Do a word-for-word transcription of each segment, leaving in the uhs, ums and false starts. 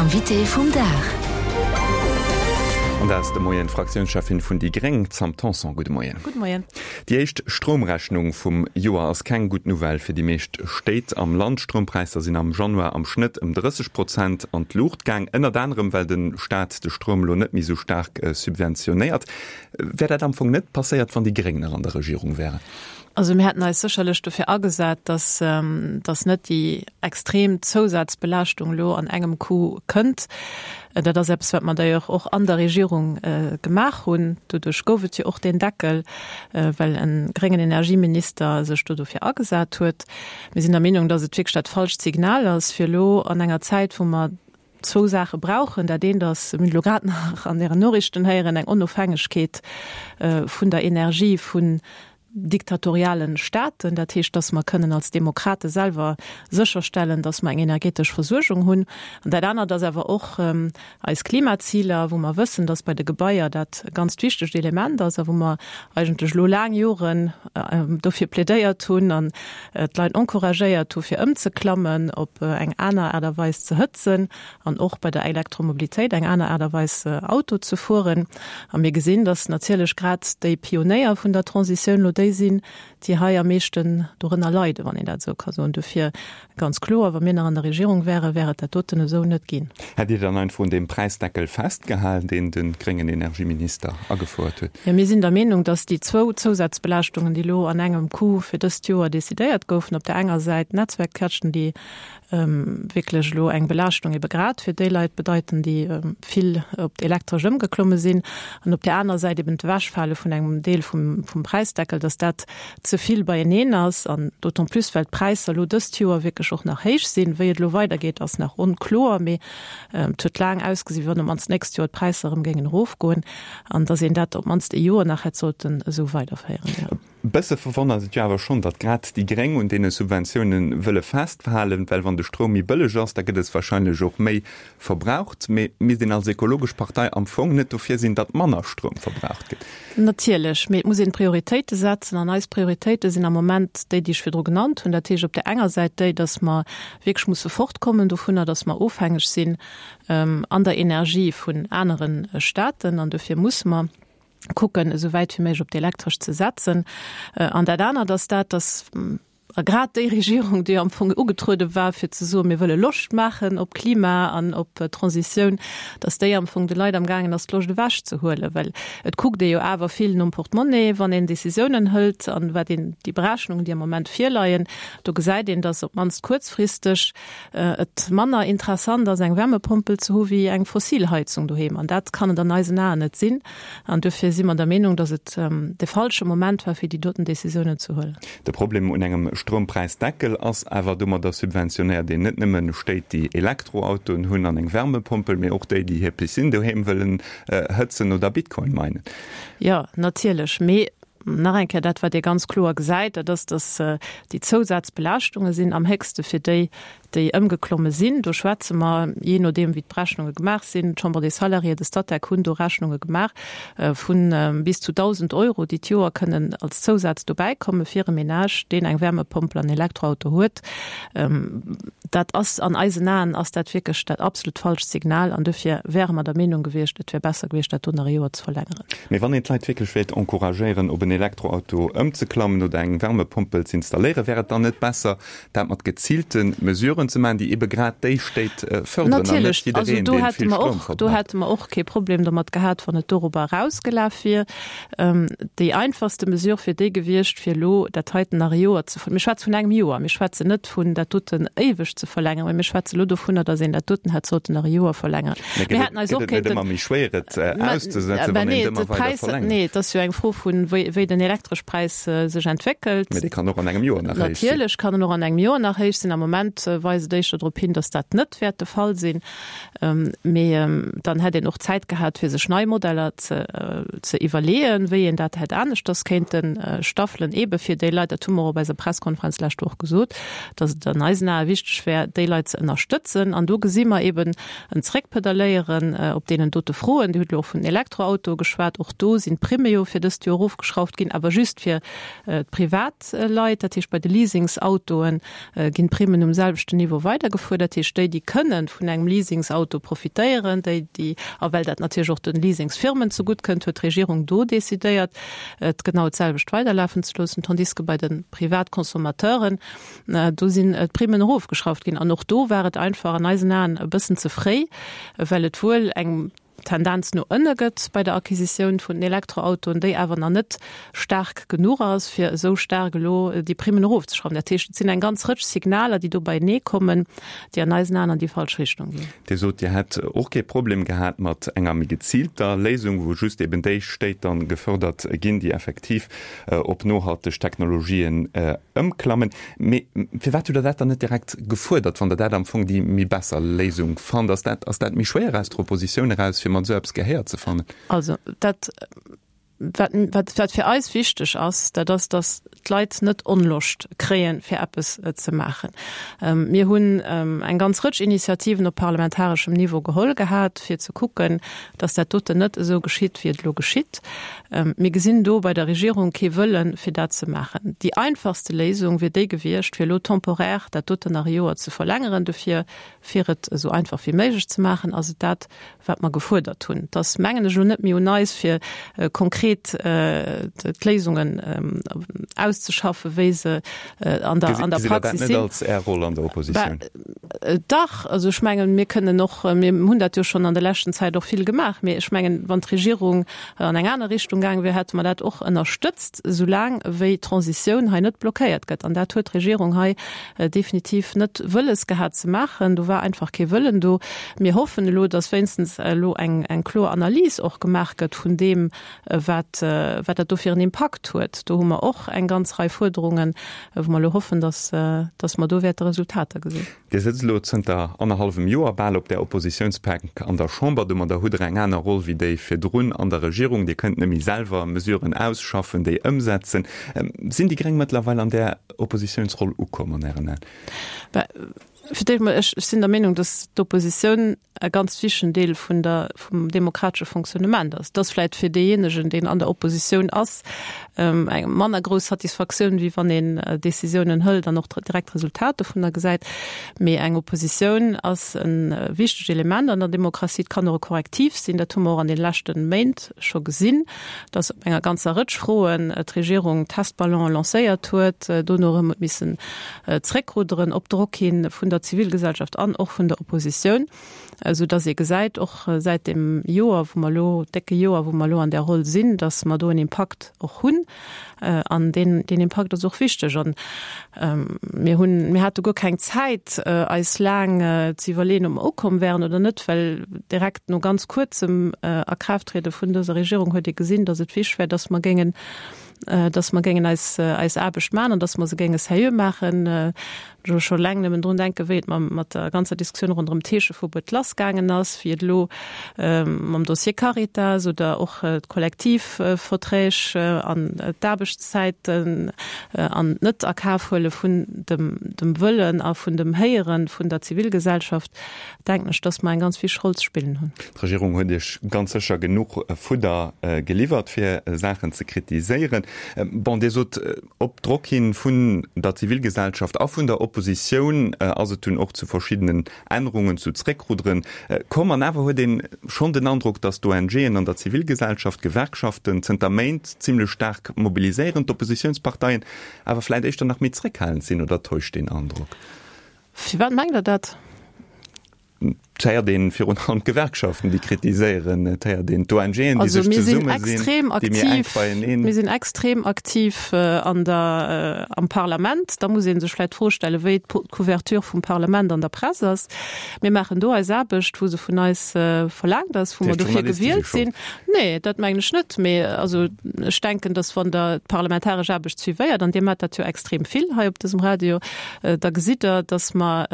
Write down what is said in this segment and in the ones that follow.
Invité vum Dag. An dat ass de Moien d'Fraktiounscheffin vun déi Gréng, d'Sam Tanson. Gudde Moien. Gudde Moien. Déi éischt Stroumrechnung vum Joer ass keng gutt Nouvelle fir déi meescht Stéit am Land. D'Stroumpräisser sinn am Januar am Schnëtt ëm drësseg Prozent an d'Luucht gaang, ënnert anerem well de Staat de Stroum elo net méi esou staark subventionéiert. Wär dat am Fong net passéiert, wann déi Gréng nach an der Regierung wären? Also mir hätten eis sécherlech dofir agesat, dass, dass net déi extrem Zousazbelaaschtung elo an engem Coup kënnt. Dat ass eppes, wat mer d'ailleurs och an der Regierung gemaach hunn. Doduerch gouf et jo och deen Deckel, well e gréngen Energieminister sech do dofir agesat huet. Mir sinn der Meenung, dass et wierklech dat falscht Signal ass, fir elo an enger Zäit, wou mer zwou Saache brauchen, Dat eent ass, mir hunn elo grad nach an Ären Noriichten héieren, eng Onofhängegkeet vun der Energie vun diktatorialen Staaten, dat heescht, dass mer kënnen als Demokrate selwer sécherstellen, dass mer eng energetesch Versuergung hunn. An dat anert ass awer och eis Klimaziler, wou mer wëssen, dass bei de Gebaier dat e ganzt wichtegt Element ass a wou mer eigentlech elo laang Joren dofir plädéiert hunn an d'Leit encouragéiert hu fir ëmzeklammen op eng aner Aart a Weis ze hëtzen an och bei der Elektromobilitéit eng aner Aart a Weis Auto ze fueren. A mir gesinn, dass natierlech grad déi Pionéier vun der Transitioun elo déi sinn, déi hei am meeschten dorënner leiden, wann een dat esou ka soen. Dofir ganz kloer, wa mir nach an der Regierung wären, wär et dat doten esou net ginn. Hätt Dir dann einfach un deem Präisdeckel festgehalen, deen de gréngen Energieminister agefouert huet? Jo, mir sinn der Meenung, dass déi zwou Zousazbelaaschtungen, déi elo an engem Coup fir dëst Joer decidéiert goufen, op där enger Säit d'Netzwerkkäschten, déi wierklech elo eng Belaaschtung ebe grad fir déi Leit bedeiten, déi vill op d'Elektresch ëmgeklomme sinn, an op där aner Säit eben d'Ewechfale vun engem Deel vum Präisdeckel, dass dat ze vill beieneen ass, an d'autant plus well d'Präisser elo dëst Joer wierklech och nach héich sinn. Wéi et elo weidergeet, ass nach onkloer, mee et huet laang ausgesi wéi wann op d'mannst d'nächst Joer d'Präisser erëm géingen erofgoen, an dass een dat op d'mannst e Joer nach hätt sollten esou weiderféieren. E bësse verwonnert et jo awer schonn, datt grad déi Gréng un deene Subventioune wëlle festhalen, well wann de Stroum méi bëlleg ass, da gëtt es warscheinlech och méi verbraucht. Mee misst een als ekologesch Partei am Fong net dofir sinn, datt manner Stroum verbraucht gëtt? Natierlech, mee et muss een Prioritéite setzen an eis Prioritéite sinn am Moment déi, déi ech virdru genannt hunn. Dat heescht op där enger Säit déi, datt mer wierklech musse fortkommen dovunner, datt mer ofhängeg sinn an der Energie vun anere Staaten an dofir musse mer kucken, esou wäit wéi méiglech op d'Elektresch ze setzen. An dat anert ass dat, datt a grad déi Regierung, déi am Fong ugetruede war, fir ze soen, mir wëlle Loscht maachen op Klima an op Transitioun, datt déi am Fong de Leit amgaangen ass, d'Loscht ewechzehuelen. Well et kuckt ee jo awer vill nom Portemonnaie, wann een Decisiounen hëlt. An wat een, déi Berechnungen, déi am Moment virleien, do gesäit een, datt op d'mannst kuerzfristeg et manner interessant ass, eng Wärmepompel ze hu wéi eng fossil Heizung doheem. An dat kann et an eisen Aen net sinn. An duerfir si mer der Meenung, datt et de falsche Moment war, fir déi doten Décisiounen ze huelen. De Problem un engem Stroumppräisdeckel ass awer, domadder subventionéiert een net nëmmen Stéit, déi Elektroautoen hunn an eng Wärmepompel, mee och déi, déi hir Piscine doheem wëllen hëtzen oder Bitcoin minen. Jo, natierlech. Mee nach eng Kéier, dat wat ee ganz kloer gesäit, dat ass, datt déi Zousazbelaaschtunge sinn am héchste fir déi, déi ëmgeklomme sinn. Do schwätze mer, jee nodeem wéi d'Berechnunge gemaach sinn, d'Chambre des Salariés, de Statec hunn do Rechnunge gemaach vu bis zu dausend Euro, déi d'Joer kënnen als Zousaz dobäikomme fir e Menage, deen eng Wärmepompel an Elektroauto huet. Dat ass an eisen Aen ass dat wierklech dat absolut falscht Signal an dofir wäre mer der Meenung gewiescht, et wär besser gewiescht, dat do nach e Joer ze verlängeren. Mee wann een d'Leit wierklech wéilt encouragéieren, op en Elektroauto ëmzeklammen oder eng Wärmepompel z'installéieren, wär et dann net besser, dat mat geziilte Mesuren ze maachen, déi ebe grad déi Stéit fërderen an net Natierlech, also jiddereen, do dee hätte vill mer Stroum och, do verbraucht? hätte mer och kee Problem domat gehat, wann et dorobber erausgelaf wier. Déi einfachste Mesure wier déi gewiescht, fir elo dat heiten nach e Joer ze, mir schwätze vun engem Joer, mir schwätzen net vun dat doten éiweg ze verlängeren, mä mir schwätze elo dovunner, datt een dat doten hätt sollten nach e Joer verlängeren. Mä Mir gëtt et, hätten eis gëtt och et net kéinten, ëmmer méi schwéier, et mä, auszesetzen, mä wann een nee, et de ëmmer weider Präis, verlängert? nee, et ass jo eng Fro vun, wéi, wéi den Elektreschpräis sech entwéckelt. Mä dee kann och an engem Joer nach héich sinn. Natierlech kann en och an engem Joer nach héich sinn. Am Moment weist et éischter drop hin, datt dat net wäert de Fall sinn. Mee dann hätt een och Zäit gehat, fir sech nei Modeller ze ze iwwerleeën, wéi een dat hätt aneschters kéinte staffelen, eebe fir déi Leit, dat hu mer och op eiser Presskonferenz d'lescht Woch gesot, datt et an eisen Ae wichteg wär, déi Leit ze ënnerstëtzen. An do gesi mer eeben en Zréckpedaléieren op deenen dote Froen. Dir hutt elo och vun den Elektroautoe geschwat. Och do sinn d'Primme jo fir dëst Joer erofgeschrauft erofgeschrauft ginn, awer just fir d'Privatleit. Dat heescht, bei de Leasingsautoe ginn d'Primmen um selwechten Niveau weidergefuer. Dat heescht, déi, déi kënnen vun engem Leasingsauto profitéieren, déi, déi, a well dat natierlech och de Leasingsfirmen zegutt kënnt, huet d'Regierung do decidéiert, et genau d'selwecht weiderlafen ze loossen, tandis que bei de Privatconsommateuren, do sinn d'Primmen erofgeschrauft ginn. An och do war et einfach an eisen Aen e bëssen ze fréi, well et wuel eng Tendenz no ënne gëtt bei der Acquisitioun vun den Elektroautoen, déi awer nach net staark genuch ass, fir esou staark elo déi Primmen erofzeschrauwen. Dat heescht, et sinn eng ganz Rëtsch Signaler, déi do beienee kommen, déi an eisen Aen an déi falsch Richtung ginn. Dir sot, Dir hätt och kee Problem gehat mat enger méi geziilter Léisung, wou just eben déi Stéit dann gefördert ginn, déi effektiv op nohalteg Technologien ëmklammen. Mee firwat hutt Der dat dann net direkt gefuerdert, wann Der dat am Fong déi méi besser Léisung fannt? Ass dat, ass dat méi schwéier aus der Oppositioun eraus, fir mat esou eppes Gehéier ze fannen? Also dat, wat, wat, wat fir eis wichteg ass, dat ass, dass d'Leit net Onloscht kréien, fir eppes ze maachen. Mir hunn eng ganz Rëtsch Initiativen op parlamentareschem Niveau geholl gehat, fir ze kucken, dass dat doten net esou geschitt, wéi et elo geschitt. Mir gesinn do bei der Regierung kee Wëllen, fir dat ze maachen. Déi einfachste Léisung wier déi gewiescht, fir elo temporaire dat doten nach e Joer ze verlängeren. Dofir, fir et esou einfach wéi méiglech ze maachen, ass et dat, wat mer gefuerdert hunn. Et ass, mengen ech, elo net méi un eis, fir konkret d'Léisungen auszeschaffen, wéi se an der Praxis sinn. Gesitt Der dat net als Är Roll an der Oppositioun? Dach, also ech mengen, mir kënnen och, mir hunn dat jo schonn an der leschten Zäit och vill gemaach, mee ech mengen, wann d'Regierung an eng aner Richtung gaange wier, hätte mer dat och ënnerstëtzt, soulaang wéi d'Transitioun hei net blockéiert gëtt. An dat huet d'Regierung hei definitiv net wëlles gehat ze maachen. Do war einfach kee Wëllen do. Mir hoffen elo, datt wéinstens elo eng, eng kloer Analys och gemaach gëtt vun deem, wat, wat dat do fir en Impakt huet. Do hu mer och eng ganz Rei Fuerderungen, wou mer elo hoffen, datt, datt mer do wäerte Resultater gesinn. Dir sëtzt elo zënter annerhallwem Joer bal op där Oppositiounsbänk an der Chamber. Domadder hutt Der eng aner Roll wéi déi virdrun an der Regierung. Dir kënnt net méi selwer Mesuren ausschaffen, déi ëmsetzen. Sinn déi Gréng mëttlerweil an där Oppositiounsroll ukomm an Ären Aen? Bah, fir d'éischt mol, ech sinn der Meenung, datt d'Oppositioun e ganz wichtegen Deel vun der, vum demokratesche Fonctionnement ass. Et ass vläicht fir deejéinegen, deen an der Oppositioun ass, eng manner grouss Satisfaktioun, wéi wann een Décisiounen hëlt an och direkt d'Resultat dovunner gesäit. Mee eng Oppositioun ass e wichtegt Element an der Demokratie. Et kann och e Korrektiv sinn. Dat hu mer och an de leschte Méint scho gesinn, datt op enger ganzer Rëtsch Froen d'Regierung Testballone lancéiert huet, dono erëm huet missen zréckrudderen op Drock hi vun der Zivilgesellschaft an och vun der Oppositioun, esou datt ee gesäit, och säit deem Joer, wou mer elo, décke Joer, wou mer elo an där Roll sinn, datt mer do en Impakt och hunn. An deen, deen Impakt ass och wichteg. An mir hunn, mir hate guer keng Zäit, eis laang ze iwwerleeën, ob mer ukomm wären oder net, well direkt no ganz kuerzem Akraafttriede vun dëser Regierung huet ee gesinn, datt et wichteg wär, datt mer géingen, datt mer géingen eis, eis Aarbecht maachen an datt mer se géinge seriö maachen. Ech muss scho eleng nëmmen drun denken, wéi et mam, mat der ganzer Diskussioun ronderëm d'Heescheverbuet lassgaangen ass, wéi et elo mam Dossier Caritas oder och d'Kollektivverträg an d'Aarbechtszäiten an d'Net-a-Kaf-Huele vun dem, dem Wëllen a vun dem Héiere vun der Zivilgesellschaft, denken ech, datt mer eng ganz wichteg Roll ze spillen hunn. D'Regierung huet Iech ganz sécher genuch Fudder geliwwert, fir Saachen ze kritiséieren. Bon, Dir sot, op Drock hin vun der Zivilgesellschaft a vun der Oppositioun ass et dunn och zu verschiddenen Ännerungen, zu Zréckrudderen komm. An awer huet ee schonn den Androck, datt d'ONGen an der Zivilgesellschaft, d'Gewerkschaften zënter Méint zimlech staark mobiliséieren, d'Oppositiounsparteien awer vläicht éischter nach méi zréckhalend sinn. Oder täuscht deen Androck? Firwat mengt Der dat? Et héiert een virun allem d'Gewerkschaften, déi kritiséieren. Et héiert een d'ONGen, déi sech zesummesinn, déi méi enk beieneen. Mir sinn extrem aktiv an der, am Parlament. Da muss ee sech vläicht d'Fro stellen, wéi d'Couverture vum Parlament an der Press ass. Mir maachen do eis Aarbecht, wou se vun eis verlaangt ass, wou mer dofir gewielt sinn. Nee, dat mengen ech net. Mee also ech denken, datt wann Der d'parlamentaresch Aarbecht suivéiert, an Dir maacht dat jo extrem vill hei op dësem Radio, da gesitt Der, datt mer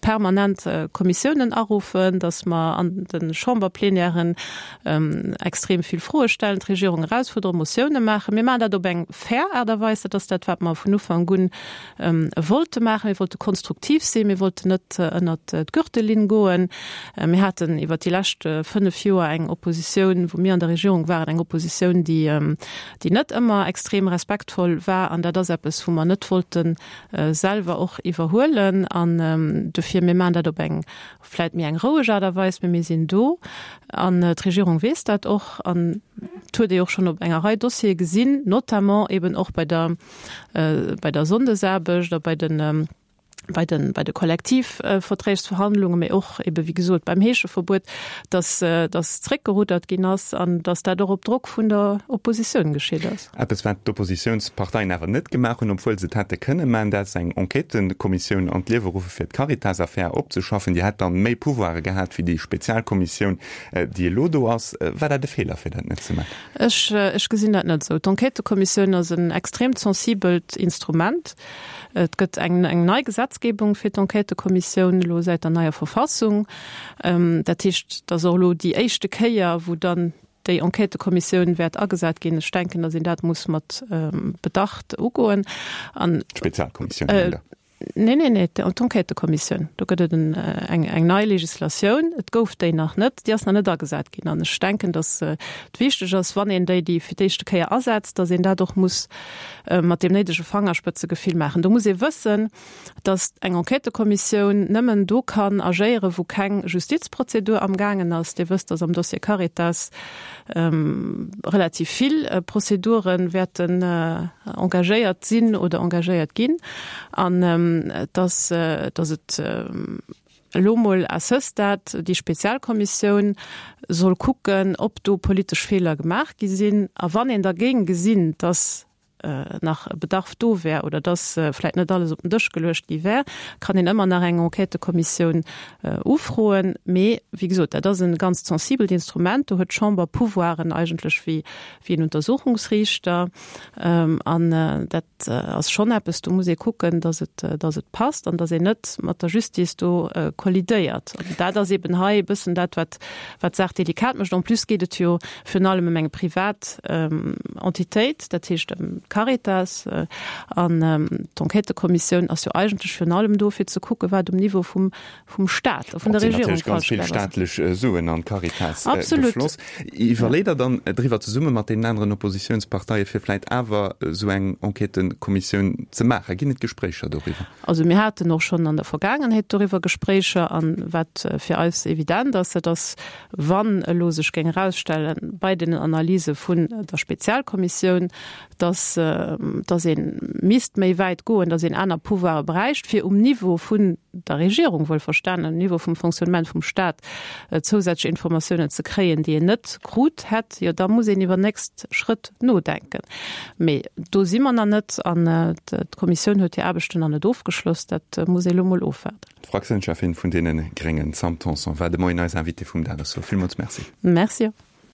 permanent Kommissiounen Kommissiounen aruffen, dass mer an de Chamberplenièren extrem vill Froe stellen, d'Regierung erausfuerderen, Motioune maachen. Mir maachen dat op eng fair Aart a Weis. Dat ass dat, wat mer vun Ufank un wollte maachen. Mir wollte konstruktiv sinn, mir wollten net ënnert d'Gürtellinn goen. Mir haten iwwert déi lescht fënnef Joer eng Oppositioun, wou mir an der Regierung waren, eng Oppositioun, déi, déi net ëmmer extrem respektvoll war. An dat ass eppes, wou mer net wollte selwer och iwwerhuelen. An dofir, mir maachen dat op eng vläicht méi eng roueg Aart a Weis, mee mir sinn do. An d'Regierung weess dat och. An et huet ee och schonn op enger Rei Dossiere gesinn, notamment eben och bei der, bei der Sonndesaarbecht a bei den, bei den, bei de Kollektivverträgsverhandlungen, mee och ebe wéi gesot beim Heescheverbuet, dass, dass zréckgeruddert ginn ass an dass dat och op Drock vun der Oppositioun geschitt ass. Eppes, wat d'Oppositiounsparteien awer net gemaach hunn, obwuel se et hätte kënne maachen, dat ass eng Enquêtëkommissioun an d'Liewe ruffe fir d'Caritas-Affär opzeschaffen. Déi hätt dann méi Pouvoire gehat wéi déi Spezialkommissioun, déi elo do ass. War dat e Feeler, fir dat net ze maachen? Ech, ech gesinn dat net esou. D'Enquêtëkommissioun ass en extremt sensibelt Instrument. Et gëtt eng, eng nei Gesetzgebung fir d'Enquêtëkommissioun elo säit der neier Verfassung. Dat heescht, et ass och elo déi éischte Kéier, wou dann déi Enquêtëkommissioun wäert agesat ginn. Ech denken, datt een dat muss mat Bedacht ugoen. An. D'Spezialkommissioun, mengt Der? Nee, nee, nee, d'Enquêtëkommissioun. Do gëtt et eng, eng nei Legislatioun. Et gouf déi nach net, déi ass nach net agesat ginn. An ech denken, datt et wichteg ass, wann een déi déi fir d'éischte Kéier asetzt, datt een dat och muss mat deem néidege Fangerspëtzegefill maachen. Do muss ee wëssen, datt eng Enquêtëkommissioun nëmmen do kann agéieren, wou keng Justizprozedur amgaangen ass. Dir wësst, datt am Dossier Caritas relativ vill Prozedure wäerten engagéiert sinn oder engagéiert ginn an datt datt et elo mol à ce stade déi Spezialkommissioun soll kucken, ob do politesch Feeler gemaach gi sinn. A wann een da géing gesinn, datt nach e Bedarf do wär oder dass vläicht net alles op den Dësch geluecht gi wär, kann een ëmmer nach eng Enquêtëkommissioun ufroen. Mee wéi gesot, dat ass e ganz sensibelt Instrument, do huet d'Chamber Pouvoiren eigentlech wéi wéi en Untersuchungsriichter. An dat ass schonn eppes, do muss ee kucken, dass et dass et passt an dass een net mat der Justice do kollidéiert. An dat ass eeben hei e bëssen dat, wat wat d'Saach delikat mécht. En plus geet et jo virun allem ëm eng privat Entitéit, dat heescht ëm d'Caritas. An d'Enquêtëkommissioun ass jo eigentlech virun allem do, fir ze kucken, wat um Niveau vum, vum Staat a vun der Regierung falsch gelaf ass. Ganz vill staatlech Suen an d'Caritas gefloss. Iwwerleet Der dann driwwer, zesumme mat deenen aneren Oppositiounsparteie fir vläicht awer esou eng Enquêtëkommissioun ze maachen? Ginn et Gespréicher doriwwer? Also mir haten och schonn an der Vergaangenheet doriwwer Gespréicher. An wat fir eis evident ass, dat ass, wann elo sech géing erausstellen bei deenen Analyse vun der Spezialkommissioun, dass, dass ee misst méi wäit goen, dass een aner Pouvoire bräicht, fir um Niveau vun der Regierung, wuelverstanen, um Niveau vum Fonctionnement vum Stat zousätzlech Informatiounen ze kréien, déi een net krut hätt, jo da muss een iwwer nächst Schrëtt nodenken. Mee do si mer nach net an d'Kommissioun huet hir Aarbechten nach net ofgeschloss. Dat muss ee elo mol ofwaarden. D'Fraktiounscheffin vun deene Gréngen, Sam Tanson, war de Moien eis Invitée vum Dag. Ech soe villmools Merci. Merci och.